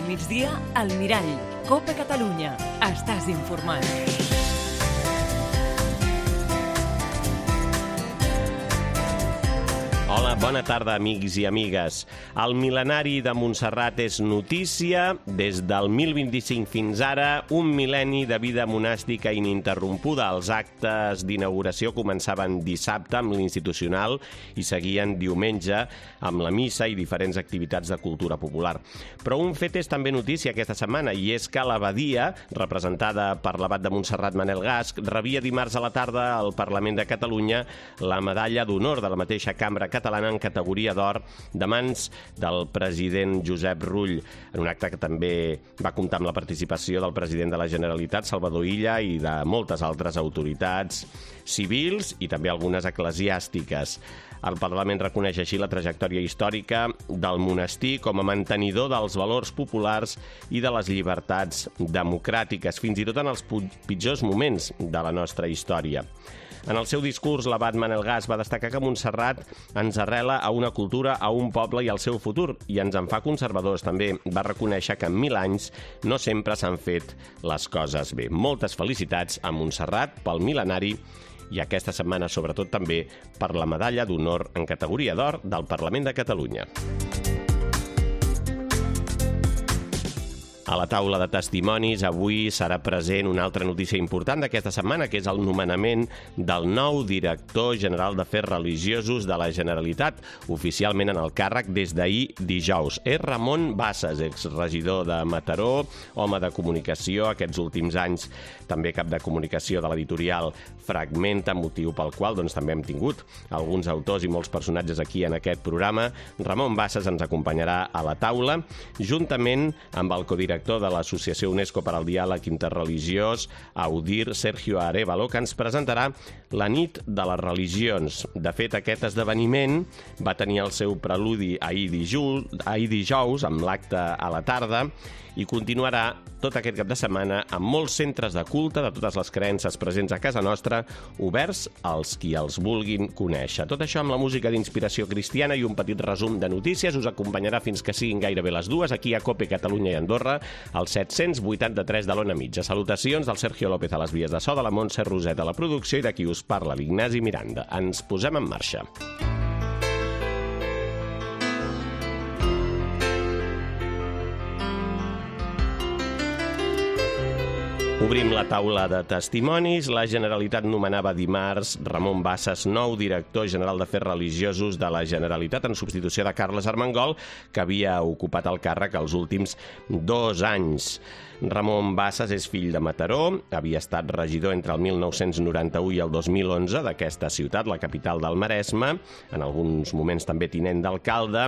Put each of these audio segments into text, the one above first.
Al migdia, al Mirall. Copa Catalunya. Estàs informat. Hola, bona tarda, amics i amigues. El mil·lenari de Montserrat és notícia. Des del 1025 fins ara, un mil·lenni de vida monàstica ininterrompuda. Els actes d'inauguració començaven dissabte amb l'institucional i seguien diumenge amb la missa i diferents activitats de cultura popular. Però un fet és també notícia aquesta setmana, i és que l'abadia, representada per l'abat de Montserrat Manel Gasc, rebia dimarts a la tarda al Parlament de Catalunya la medalla d'honor de la mateixa cambra catalana en categoria d'or de mans del president Josep Rull, en un acte que també va comptar amb la participació del president de la Generalitat, Salvador Illa, i de moltes altres autoritats civils i també algunes eclesiàstiques. El Parlament reconeix així la trajectòria històrica del monestir com a mantenidor dels valors populars i de les llibertats democràtiques, fins i tot en els pitjors moments de la nostra història. En el seu discurs, l'abat Manel Gasc va destacar que Montserrat ens arrela a una cultura, a un poble i al seu futur, i ens en fa conservadors. També va reconèixer que en 1000 anys no sempre s'han fet les coses bé. Moltes felicitats a Montserrat pel mil·lenari i aquesta setmana, sobretot, també per la medalla d'honor en categoria d'or del Parlament de Catalunya. A la taula de testimonis avui serà present una altra notícia important d'aquesta setmana, que és el nomenament del nou director general d'Afers Religiosos de la Generalitat, oficialment en el càrrec des d'ahir dijous. És Ramon Bassas, exregidor de Mataró, home de comunicació aquests últims anys, també cap de comunicació de l'editorial Fragmenta, motiu pel qual també hem tingut alguns autors i molts personatges aquí en aquest programa. Ramon Bassas ens acompanyarà a la taula, juntament amb el codirector de l'Associació UNESCO per al Diàleg Interreligiós, AUDIR, Sergio Arévalo, que ens presentarà la nit de les religions. De fet, aquest esdeveniment va tenir el seu preludi ahir dijous, amb l'acte a la tarda, i continuarà tot aquest cap de setmana amb molts centres de culte de totes les creences presents a casa nostra, oberts als qui els vulguin conèixer. Tot això amb la música d'inspiració cristiana i un petit resum de notícies us acompanyarà fins que siguin gairebé les 2 aquí a Cope Catalunya i Andorra, al 783 de l'Ona Mitja. Salutacions del Sergio López a les vies de so, de la Montse Roset a la producció i de qui us parla, l'Ignasi Miranda. Ens posem en marxa. Obrim la taula de testimonis. La Generalitat nomenava dimarts Ramon Bassas, nou director general d'Afers Religiosos de la Generalitat, en substitució de Carles Armengol, que havia ocupat el càrrec els últims 2 anys. Ramon Bassas és fill de Mataró, havia estat regidor entre el 1991 i el 2011 d'aquesta ciutat, la capital del Maresme, en alguns moments també tinent d'alcalde.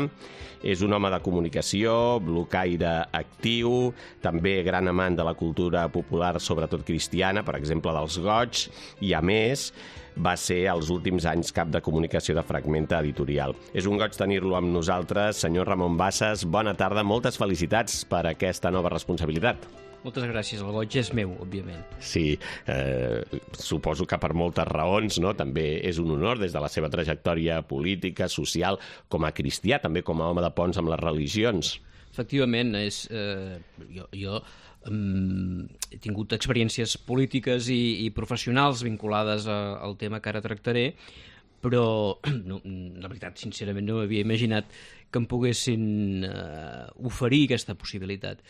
És un home de comunicació, blocaire actiu, també gran amant de la cultura popular, sobretot cristiana, per exemple dels goigs, i a més va ser els últims anys cap de comunicació de Fragmenta Editorial. És un goig tenir-lo amb nosaltres. Senyor Ramon Bassas, bona tarda, moltes felicitats per aquesta nova responsabilitat. Moltes gràcies, el goig és meu, òbviament. Sí, suposo que per moltes raons, no? També és un honor des de la seva trajectòria política, social, com a cristià, també com a home de ponts amb les religions. Efectivament, jo he tingut experiències polítiques i professionals vinculades al tema que ara tractaré, però la veritat, sincerament, no m'havia imaginat que em poguessin oferir aquesta possibilitat.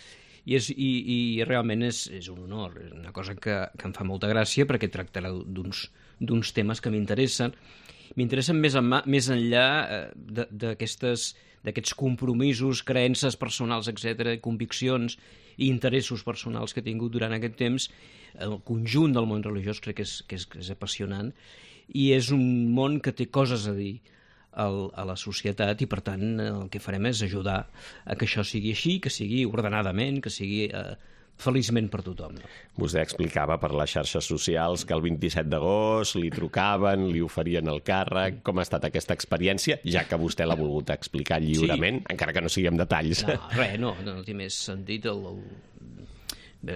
I realment és un honor, és una cosa que em fa molta gràcia perquè tractarà d'uns temes que m'interessen. M'interessen més enllà d'aquests compromisos, creences personals, etc., conviccions i interessos personals que he tingut durant aquest temps. El conjunt del món religiós crec que és apassionant i és un món que té coses a dir a la societat i, per tant, el que farem és ajudar a que això sigui així, que sigui ordenadament, que sigui feliçment per tothom. Vostè explicava per les xarxes socials que el 27 d'agost li trucaven, li oferien el càrrec. Com ha estat aquesta experiència, ja que vostè l'ha volgut explicar lliurement, sí, encara que no sigui amb detalls? No té més sentit.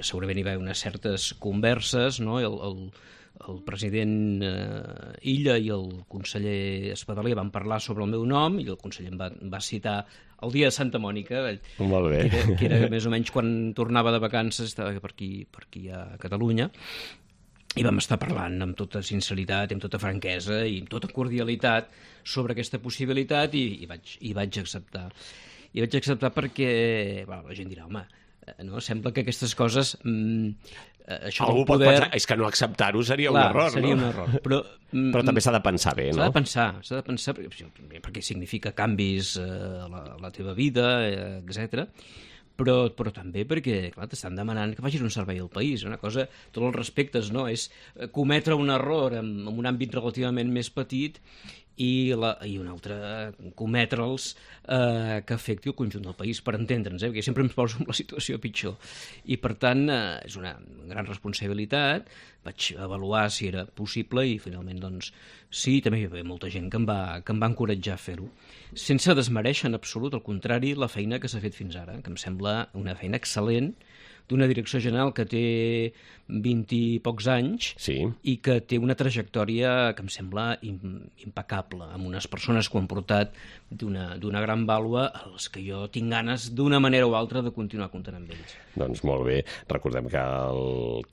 Segurament hi va haver unes certes converses, no? el president Illa i el conseller Espadaler van parlar sobre el meu nom i el conseller em va citar el dia de Santa Mònica, Molt bé. que era més o menys quan tornava de vacances, estava per aquí a Catalunya, i vam estar parlant amb tota sinceritat, amb tota franquesa i amb tota cordialitat sobre aquesta possibilitat i vaig acceptar. I vaig acceptar perquè la gent dirà, home, no? Sembla que aquestes coses... això Algú pot pensar, és que no acceptar-ho seria un error, seria no? un error, però també s'ha de pensar bé, no? S'ha de pensar perquè significa canvis a la teva vida, etc. Però també perquè, clar, t'estan demanant que facis un servei al país. Una cosa, tots els respectes, no? És cometre un error en un àmbit relativament més petit i un altre cometre'ls que afecti el conjunt del país, per entendre'ns, perquè sempre ens poso en la situació pitjor. I, per tant, és una gran responsabilitat. Vaig avaluar si era possible i, finalment, doncs, sí, també hi havia molta gent que em va encoratjar a fer-ho. Sense desmereixer en absolut, al contrari, la feina que s'ha fet fins ara, que em sembla una feina excel·lent, d'una direcció general que té 20 i pocs anys i que té una trajectòria que em sembla impecable, amb unes persones que ho han portat d'una gran vàlua als que jo tinc ganes d'una manera o altra de continuar comptant amb ells. Doncs molt bé. Recordem que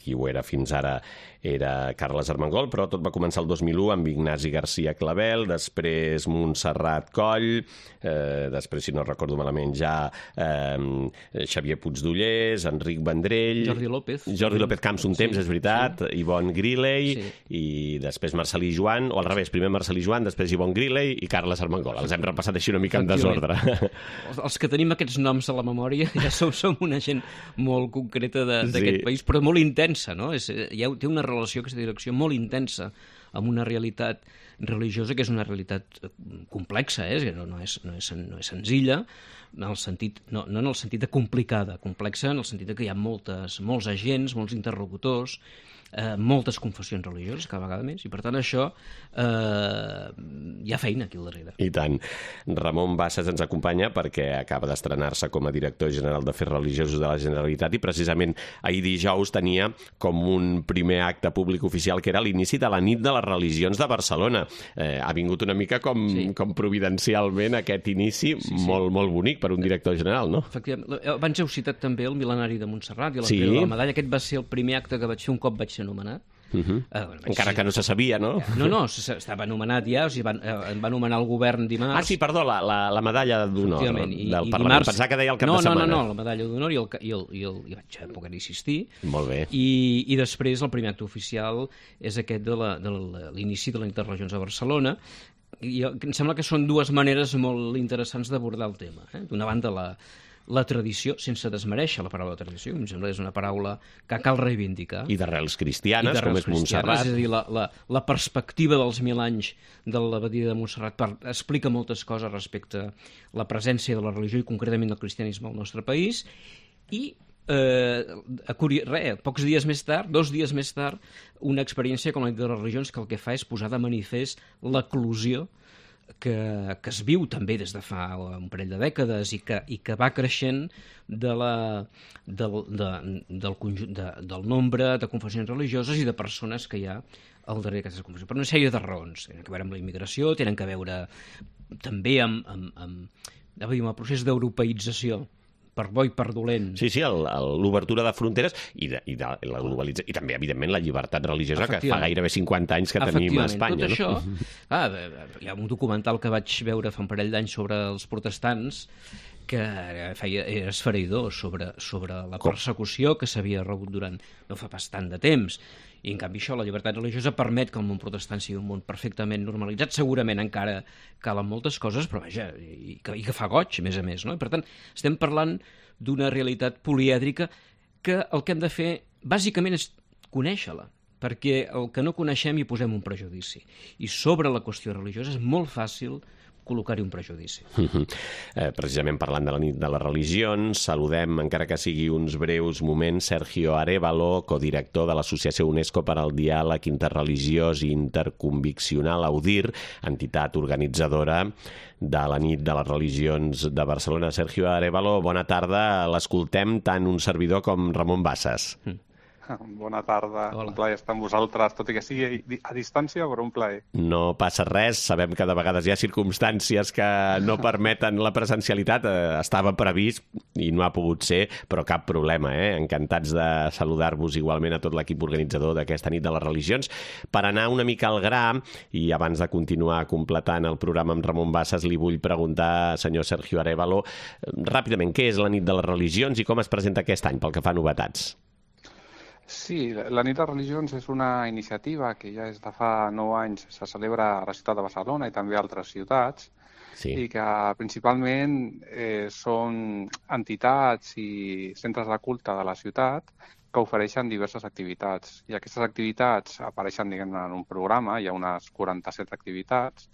qui ho era fins ara era Carles Armengol, però tot va començar el 2001 amb Ignasi García Clavel, després Montserrat Coll, després, si no recordo malament, ja Xavier Puigdollers, Enric Vendrell... Jordi López Camps un temps, és veritat, Ivonne Griley, i després Marcelí Joan, o al revés, primer Marcelí Joan, després Ivonne Griley i Carles Armengol. Els hem repassat així una mica en desordre. Els que tenim aquests noms a la memòria ja som una gent molt concreta d'aquest país, però molt intensa, no? Té una relació, aquesta direcció, molt intensa amb una realitat religiosa que és una realitat complexa, no és senzilla, no en el sentit de complicada, complexa en el sentit que hi ha molts agents, molts interlocutors, moltes confessions religioses, cada vegada més, i per tant això hi ha feina aquí al darrere. I tant. Ramon Bassas ens acompanya perquè acaba d'estrenar-se com a director general d'Afers Religiosos de la Generalitat i precisament ahir dijous tenia com un primer acte públic oficial que era l'inici de la nit de les religions de Barcelona. Ha vingut una mica com providencialment aquest inici molt, molt bonic per un director general, no? Efectivament. Abans heu citat també el Mil·lenari de Montserrat i l'entrega de la medalla. Aquest va ser el primer acte que vaig fer un cop vaig ser anomenat. Encara que no se sabia, no? No, estava anomenat ja, o sigui, em va anomenar el govern dimarts. Ah, sí, perdó, la medalla d'honor del Parlament. Pensava que deia el cap de setmana. No, la medalla d'honor i vaig poder insistir. Molt bé. I després el primer acte oficial és aquest de l'inici de la Interregions a Barcelona. I em sembla que són dues maneres molt interessants d'abordar el tema. D'una banda, la tradició, sense desmereixer la paraula tradició, em sembla que és una paraula que cal reivindicar. I d'arrels cristianes, com és Montserrat. És a dir, la perspectiva dels 1000 anys de l'abadia de Montserrat explica moltes coses respecte a la presència de la religió i concretament del cristianisme al nostre país. I pocs dies més tard, 2 dies més tard, una experiència com la de les religions que el que fa és posar de manifest l'eclosió que es viu també des de fa un parell de dècades i que va creixent del nombre de confessions religioses i de persones que hi ha al darrere d'aquestes confessions. Per una sèrie de raons. Tenen a veure amb la immigració, tenen a veure també amb el procés d'europeïtzació, per bo i per dolent. Sí, l'obertura de fronteres i la globalització, i també, evidentment, la llibertat religiosa que fa gairebé 50 anys que tenim a Espanya. Tot això, hi ha un documental que vaig veure fa un parell d'anys sobre els protestants que era esfereïdor sobre la persecució que s'havia rebut durant no fa pas tant de temps. I, en canvi, la llibertat religiosa permet que el món protestant sigui un món perfectament normalitzat. Segurament encara calen moltes coses, però vaja, i que fa goig, a més, no? I, per tant, estem parlant d'una realitat polièdrica que el que hem de fer, bàsicament, és conèixer-la, perquè el que no coneixem hi posem un prejudici. I sobre la qüestió religiosa és molt fàcil col·locar-hi un prejudici. Precisament parlant de la nit de les religions, saludem, encara que sigui uns breus moments, Sergio Arévalo, codirector de l'Associació UNESCO per al Diàleg Interreligiós i Interconviccional, AUDIR, entitat organitzadora de la nit de les religions de Barcelona. Sergio Arévalo, bona tarda. L'escoltem tant un servidor com Ramon Bassas. Bona tarda. Hola. Un plaer estar amb vosaltres, tot i que sigui a distància, però un plaer. No passa res, sabem que de vegades hi ha circumstàncies que no permeten la presencialitat. Estava previst i no ha pogut ser, però cap problema, Encantats de saludar-vos igualment a tot l'equip organitzador d'aquesta nit de les religions. Per anar una mica al gra, i abans de continuar completant el programa amb Ramon Bassas, li vull preguntar, senyor Sergio Arévalo, ràpidament, què és la nit de les religions i com es presenta aquest any pel que fa a novetats? Sí, la nit de religions és una iniciativa que ja des de fa 9 anys se celebra a la ciutat de Barcelona i també a altres ciutats, i que principalment són entitats i centres de culte de la ciutat que ofereixen diverses activitats. I aquestes activitats apareixen, diguem-ne, en un programa, hi ha unes 47 activitats,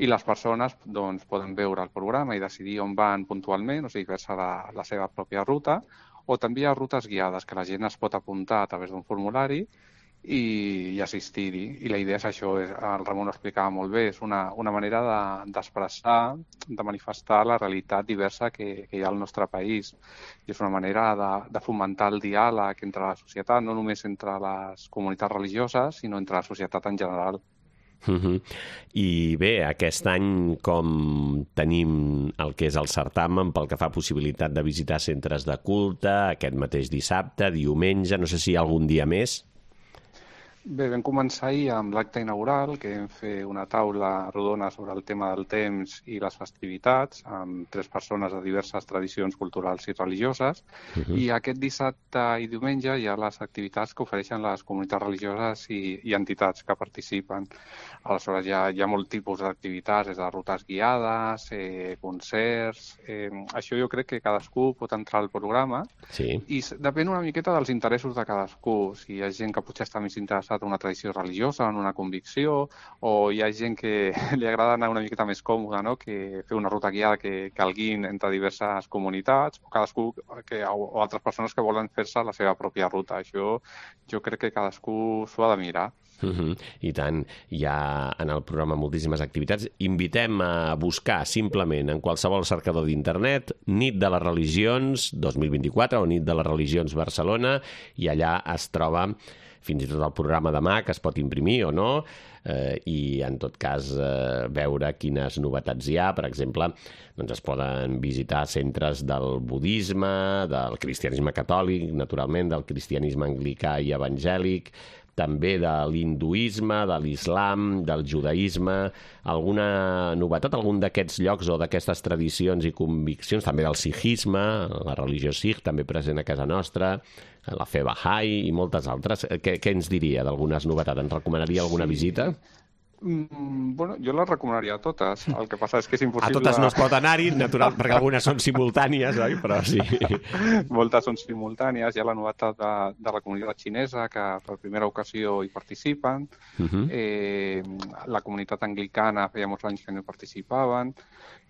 i les persones poden veure el programa i decidir on van puntualment, o sigui, fer-se la seva pròpia ruta, o també hi ha rutes guiades, que la gent es pot apuntar a través d'un formulari i assistir-hi. I la idea és això, el Ramon ho explicava molt bé, és una manera d'expressar, de manifestar la realitat diversa que hi ha al nostre país. I és una manera de fomentar el diàleg entre la societat, no només entre les comunitats religioses, sinó entre la societat en general. I bé, aquest any com tenim el que és el certamen pel que fa a possibilitat de visitar centres de culte, aquest mateix dissabte, diumenge, no sé si hi ha algun dia més? Bé, vam començar ahir amb l'acte inaugural, que vam fer una taula rodona sobre el tema del temps i les festivitats, amb 3 persones de diverses tradicions culturals i religioses, i aquest dissabte i diumenge hi ha les activitats que ofereixen les comunitats religioses i entitats que participen. Aleshores, hi ha molt tipus d'activitats, des de rutes guiades, concerts... Això jo crec que cadascú pot entrar al programa i depèn una miqueta dels interessos de cadascú. Si hi ha gent que potser està més interessada en una tradició religiosa, en una convicció, o hi ha gent que li agrada anar una miqueta més còmoda, no? Que fer una ruta guiada que el guiïn entre diverses comunitats, o cadascú o altres persones que volen fer-se la seva pròpia ruta. Això jo crec que cadascú s'ho ha de mirar. I tant, hi ha en el programa moltíssimes activitats. Invitem a buscar simplement en qualsevol cercador d'internet Nit de les Religions 2024 o Nit de les Religions Barcelona, i allà es troba fins i tot el programa demà, que es pot imprimir o no, i en tot cas veure quines novetats hi ha. Per exemple, doncs es poden visitar centres del budisme, del cristianisme catòlic, naturalment, del cristianisme anglicà i evangèlic, també de l'hinduisme, de l'islam, del judaïsme, alguna novetat, algun d'aquests llocs o d'aquestes tradicions i conviccions, també del sikhisme, la religió sikh, també present a casa nostra, la fe Bahá'í i moltes altres. Què ens diria d'algunes novetats? Ens recomanaria alguna visita? Bueno, jo les recomanaria a totes. El que passa és que és impossible... A totes no es pot anar-hi, natural, perquè algunes són simultànies, oi? Però sí. Moltes són simultànies. Hi ha la novetat de la comunitat xinesa, que per primera ocasió hi participen. La comunitat anglicana feia molts anys que no hi participaven.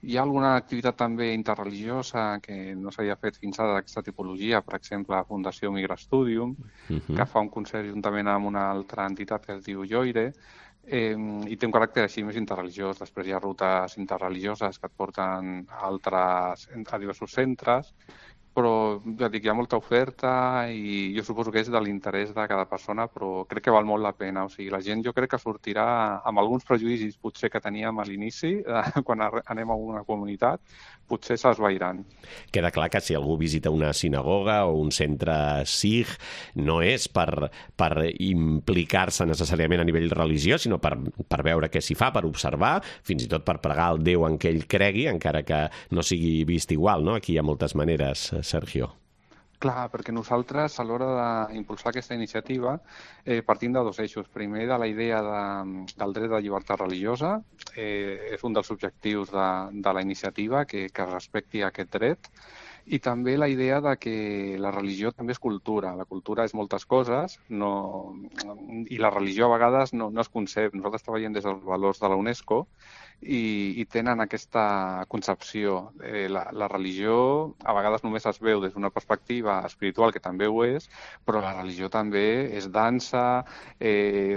Hi ha alguna activitat també interreligiosa que no s'havia fet fins ara d'aquesta tipologia, per exemple, la Fundació Migra Studium, que fa un concert juntament amb una altra entitat que es diu Yoire, i té un caràcter així més interreligiós. Després hi ha rutes interreligioses que et porten a diversos centres, però ja dic, hi ha molta oferta i jo suposo que és de l'interès de cada persona, però crec que val molt la pena. O sigui, la gent jo crec que sortirà amb alguns prejudicis potser que teníem a l'inici, quan anem a una comunitat, potser s'esvairan. Queda clar que si algú visita una sinagoga o un centre sikh no és per implicar-se necessàriament a nivell religiós, sinó per veure què s'hi fa, per observar, fins i tot per pregar el Déu en què ell cregui, encara que no sigui vist igual, no? Aquí hi ha moltes maneres, Sergio. Clar, perquè nosaltres, a l'hora d'impulsar aquesta iniciativa, partim de 2 eixos. Primer, de la idea del dret de llibertat religiosa. És un dels objectius de la iniciativa, que es respecti aquest dret. I també la idea de que la religió també és cultura. La cultura és moltes coses, i la religió a vegades no es concep. Nosaltres treballem des dels valors de la UNESCO i tenen aquesta concepció. La religió a vegades només es veu des d'una perspectiva espiritual, que també ho és, però la religió també és dansa,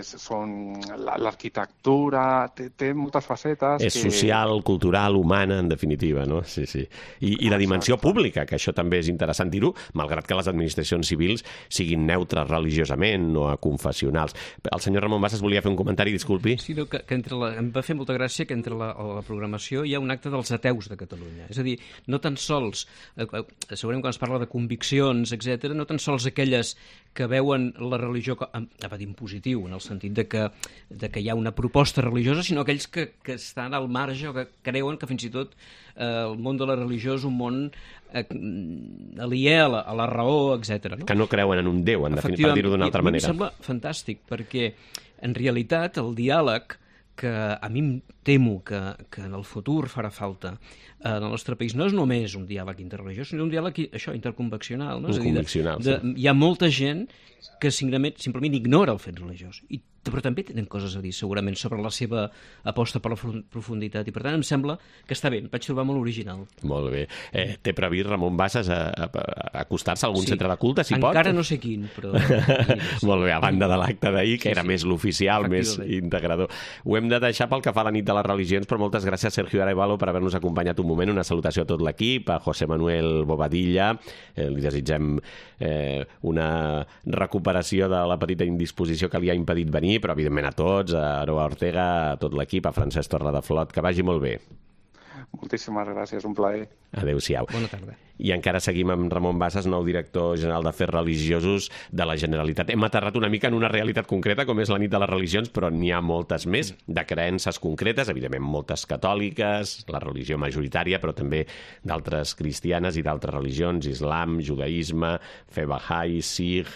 són l'arquitectura, té moltes facetes. És social, cultural, humana, en definitiva, no? Sí, sí. I la dimensió pública, que això també és interessant dir-ho, malgrat que les administracions civils siguin neutres religiosament o confessionals. El senyor Ramon Bassas volia fer un comentari, disculpi. Sí, que em va fer molta gràcia que entre la programació hi ha un acte dels ateus de Catalunya. És a dir, no tan sols, segurament quan es parla de conviccions, etc., no tan sols aquelles que veuen la religió en positiu, en el sentit de que hi ha una proposta religiosa, sinó aquells que estan al marge o que creuen que fins i tot el món de la religió és un món aliè a la raó, etc. No? Que no creuen en un Déu, en definitiva, per dir-ho d'una altra manera. A mi em sembla fantàstic, perquè en realitat el diàleg, que a mi em temo que en el futur farà falta en el nostre país, no és només un diàleg interreligiós, sinó un diàleg interconveccional. No? Conviccional, sí. Hi ha molta gent que simplement ignora el fet religiós, però també tenen coses a dir segurament sobre la seva aposta per la profunditat, i per tant em sembla que està bé, em vaig trobar molt original. Molt bé. Té previst Ramon Bassas acostar-se a algun centre de culte, si pot? Encara no sé quin, però... Molt bé, a banda de l'acte d'ahir, que era més l'oficial, més integrador. Ho hem de deixar pel que fa a la nit de les religions, però moltes gràcies, Sergio Arevalo, per haver-nos acompanyat un moment. Una salutació a tot l'equip, a José Manuel Bobadilla. Li desitgem una recuperació de la petita indisposició que li ha impedit venir, però evidentment a tots, a Aroa Ortega, a tot l'equip, a Francesc Torredeflot, que vagi molt bé. Moltíssimes gràcies, un plaer. Adéu-siau. Bona tarda. I encara seguim amb Ramon Bassas, nou director general d'Afers Religiosos de la Generalitat. Hem aterrat una mica en una realitat concreta, com és la nit de les religions, però n'hi ha moltes més, de creences concretes, evidentment moltes catòliques, la religió majoritària, però també d'altres cristianes i d'altres religions, islam, judaïsme, fe Bahá'í, Sikh,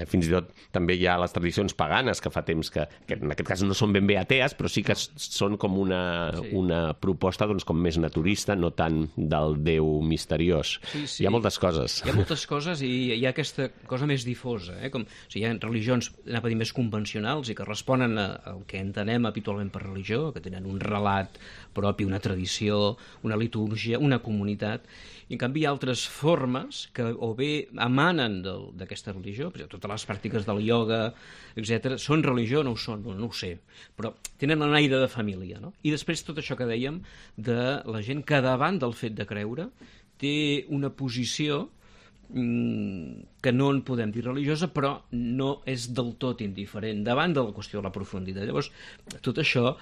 fins i tot també hi ha les tradicions paganes, que fa temps que en aquest cas no són ben bé atees, però sí que són com una proposta doncs, com més naturista, no tant del Déu misteriós. Sí. Hi ha moltes coses. Hi ha moltes coses i hi ha aquesta cosa més difosa. Hi ha religions, anava a dir, més convencionals i que responen al que entenem habitualment per religió, que tenen un relat propi, una tradició, una litúrgia, una comunitat. I en canvi hi ha altres formes que o bé emanen d'aquesta religió, per exemple, totes les pràctiques del ioga, etc. Són religió o no ho són? No ho sé. Però tenen un aire de família. No? I després tot això que dèiem de la gent que davant del fet de creure té una posició que no en podem dir religiosa, però no és del tot indiferent davant de la qüestió de la profunditat. Llavors, tot això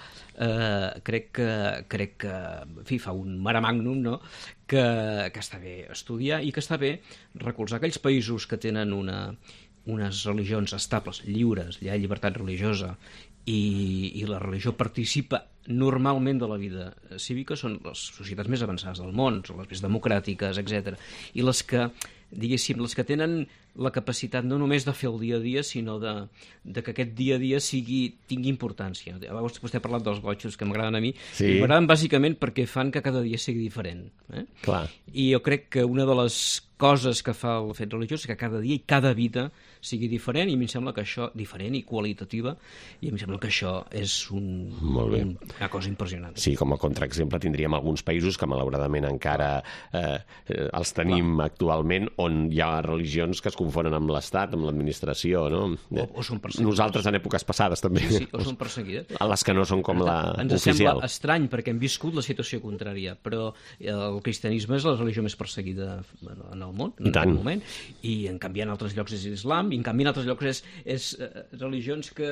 crec que en fi, fa un mare magnum, no? que està bé estudiar i que està bé recolzar aquells països que tenen unes religions estables, lliures, hi ha llibertat religiosa i la religió participa normalment de la vida cívica, són les societats més avançades del món, són les més democràtiques, etc. I les que, diguéssim, les que tenen la capacitat no només de fer el dia a dia, sinó de que aquest dia a dia tingui importància. Vostè ha parlat dels gotxos, que m'agraden a mi, sí. I m'agraden bàsicament perquè fan que cada dia sigui diferent. Clar. I jo crec que una de les coses que fa el fet religiós és que cada dia i cada vida sigui diferent, i a mi em sembla que això, diferent i qualitativa, i a mi em sembla que això és una cosa impressionant. Sí, com a contraexemple tindríem alguns països que malauradament encara els tenim actualment, on hi ha religions que es confonen amb l'Estat, amb l'administració, no? O són perseguides. Nosaltres en èpoques passades també. Sí, o són perseguides. A les que no són com la oficial. Ens sembla estrany perquè hem viscut la situació contrària, però el cristianisme és la religió més perseguida en el món, en aquest moment, i en canvi en altres llocs és l'islam, i en canvi en altres llocs és religions que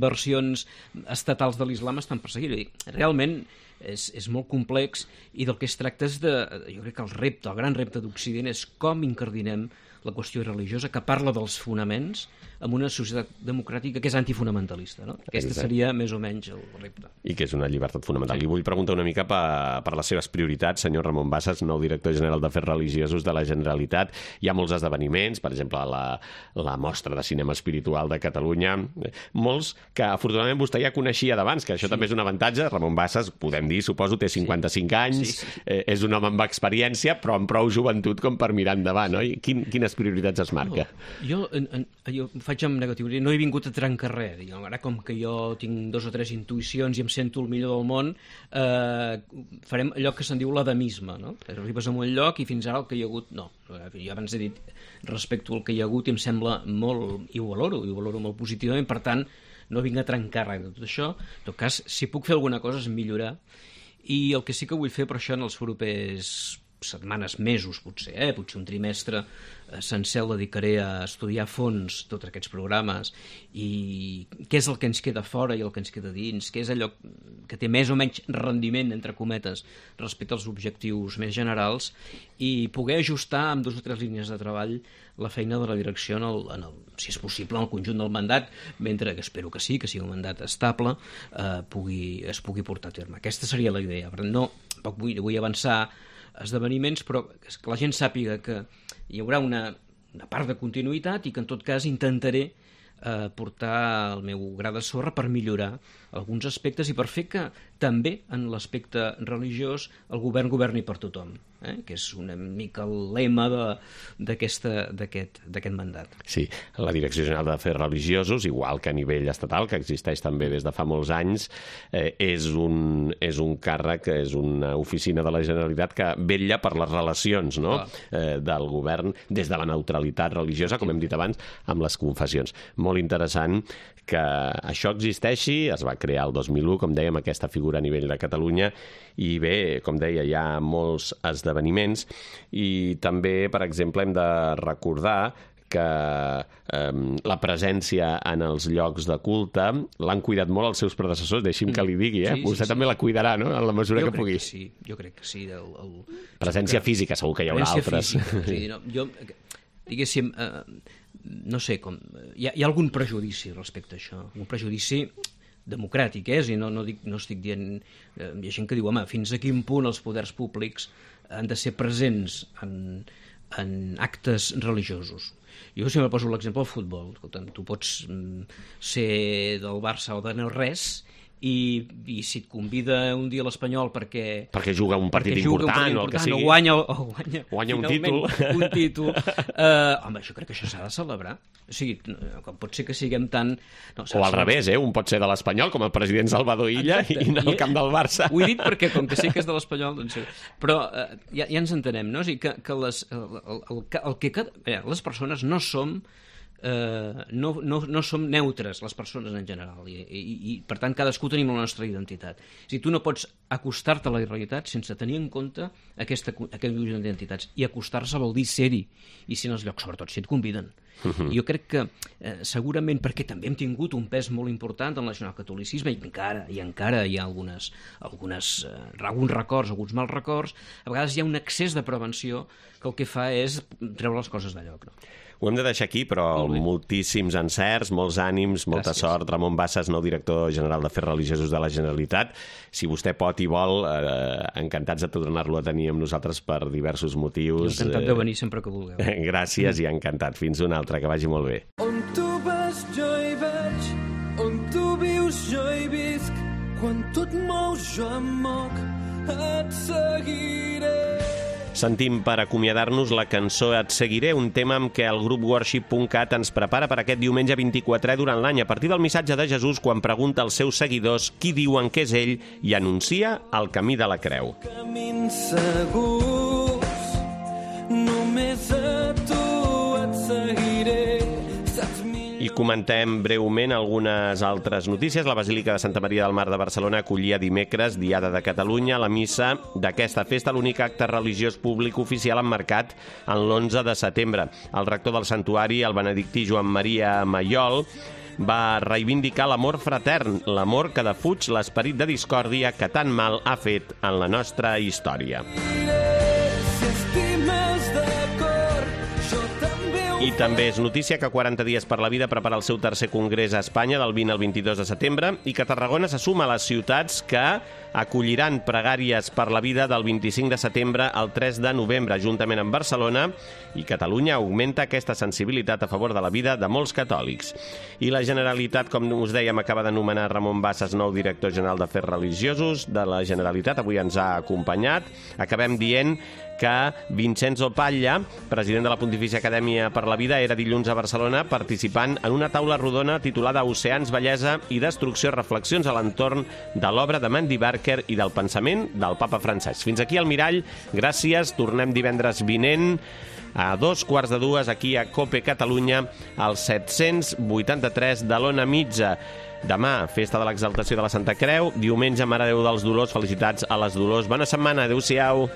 versions estatals de l'islam estan perseguides. Realment és molt complex, i del que es tracta és jo crec que el gran repte d'Occident és com incardinem la qüestió religiosa, que parla dels fonaments en una societat democràtica que és antifonamentalista. No? Aquesta seria més o menys el repte. I que és una llibertat fonamental. Li vull preguntar una mica per les seves prioritats, senyor Ramon Bassas, nou director general d'Afers Religiosos de la Generalitat. Hi ha molts esdeveniments, per exemple, la Mostra de Cinema Espiritual de Catalunya, molts que afortunadament vostè ja coneixia d'abans, que això també és un avantatge. Ramon Bassas, podem dir, suposo, té 55 anys, és un home amb experiència, però amb prou joventut com per mirar endavant, oi? Quines quines prioritats es marca? Jo faig amb negatiu, no he vingut a trencar res. Ara, com que jo tinc 2 o 3 intuïcions i em sento el millor del món, farem allò que se'n diu l'adamisme, no? Arribes a un lloc i fins ara el que hi ha hagut, no. Jo abans he dit, respecto al que hi ha hagut, i em sembla molt, i ho valoro molt positivament, per tant, no vinc a trencar res de tot això. En tot cas, si puc fer alguna cosa és millorar, i el que sí que vull fer per això en els propers setmanes, mesos, potser un trimestre sencer el dedicaré a estudiar a fons tots aquests programes i què és el que ens queda fora i el que ens queda dins, què és allò que té més o menys rendiment, entre cometes, respecte als objectius més generals, i poder ajustar amb 2 o 3 línies de treball la feina de la direcció, si és possible, en el conjunt del mandat, mentre que espero que sí, que sigui un mandat estable, es pugui portar a terme. Aquesta seria la idea. No, tampoc vull avançar esdeveniments, però que la gent sàpiga que hi haurà una part de continuïtat i que en tot cas intentaré portar el meu gra de sorra per millorar alguns aspectes i per fer que també en l'aspecte religiós el govern governi per tothom, que és una mica el lema d'aquest mandat. Sí, la Direcció General d'Afers Religiosos, igual que a nivell estatal, que existeix també des de fa molts anys, és un càrrec, és una oficina de la Generalitat que vetlla per les relacions, no? Del govern des de la neutralitat religiosa, com hem dit abans, amb les confessions. Molt interessant que això existeixi, es va crear el 2001, com dèiem, aquesta figura a nivell de Catalunya, i bé, com deia, hi ha molts esdeveniments, i també, per exemple, hem de recordar que la presència en els llocs de culte l'han cuidat molt els seus predecessors, deixi'm que li digui, vostè també la cuidarà, no?, en la mesura que pugui. Jo crec que sí. Presència física, segur que hi haurà altres. Jo, diguéssim, no sé, hi ha algun prejudici respecte a això, un prejudici democràtic, i no estic dient... Hi ha gent que diu, home, fins a quin punt els poders públics han de ser presents en actes religiosos. Jo sempre poso l'exemple del futbol. Escolta'm, tu pots ser del Barça o de no res, i si et convida un dia l'Espanyol perquè juga un partit important o el que sigui, o guanya un títol, home, jo crec que això s'ha de celebrar. O sigui, com pot ser que siguem tan... O al revés, un pot ser de l'Espanyol, com el president Salvador Illa, i anar al camp del Barça. Ho he dit perquè, com que sé que és de l'Espanyol, doncs... Però ja ens entenem, no? O sigui, que les persones no som... no som neutres, les persones en general, i per tant cadascú tenim la nostra identitat. O sigui, tu no pots acostar-te a la realitat sense tenir en compte aquest conjunt d'identitats, i acostar-se vol dir ser-hi, i ser en els llocs, sobretot si et conviden. Jo crec que segurament perquè també hem tingut un pes molt important en el nacionalcatolicisme, i encara hi ha alguns records, alguns mals records, a vegades hi ha un excés de prevenció que el que fa és treure les coses de lloc, no? Ho hem de deixar aquí, però moltíssims encerts, molts ànims, molta sort. Ramon Bassas, nou director general d'Afers Religiosos de la Generalitat. Si vostè pot i vol, encantats de tornar-lo a tenir amb nosaltres per diversos motius. Encantat de venir sempre que vulgueu. Gràcies i encantat. Fins una altra, que vagi molt bé. On tu vas jo hi vaig, on tu vius jo hi visc, quan tu et mous jo em moc, et seguiré. Sentim per acomiadar-nos la cançó Et seguiré, un tema amb què el grup Worship.cat ens prepara per aquest diumenge 24è durant l'any, a partir del missatge de Jesús quan pregunta als seus seguidors qui diuen que és ell i anuncia el camí de la creu. Camins segurs, només a tu et seguiré. I comentem breument algunes altres notícies. La Basílica de Santa Maria del Mar de Barcelona acollia dimecres, Diada de Catalunya. La missa d'aquesta festa, l'únic acte religiós públic oficial emmarcat en l'11 de setembre. El rector del santuari, el benedictí Joan Maria Maiol, va reivindicar l'amor fratern, l'amor que defuig l'esperit de discòrdia que tan mal ha fet en la nostra història. I també és notícia que 40 dies per la vida prepara el seu tercer congrés a Espanya del 20 al 22 de setembre i que Tarragona se suma a les ciutats que acolliran pregàries per la vida del 25 de setembre al 3 de novembre, juntament amb Barcelona, i Catalunya augmenta aquesta sensibilitat a favor de la vida de molts catòlics. I la Generalitat, com us dèiem, acaba de nomenar Ramon Bassas nou director general d'Afers Religiosos de la Generalitat. Avui ens ha acompanyat. Acabem dient que Vincenzo Paglia, president de la Pontifícia Acadèmia per la Vida, era dilluns a Barcelona participant en una taula rodona titulada Oceans, Bellesa i Destrucció, reflexions a l'entorn de l'obra de Mandy Barker i del pensament del papa Francesc. Fins aquí el Mirall, gràcies, tornem divendres vinent a 2:15 aquí a COPE Catalunya, al 783 de l'Ona Mitja. Demà, festa de l'exaltació de la Santa Creu, diumenge Mare de Déu dels Dolors, felicitats a les Dolors. Bona setmana, adeu-siau.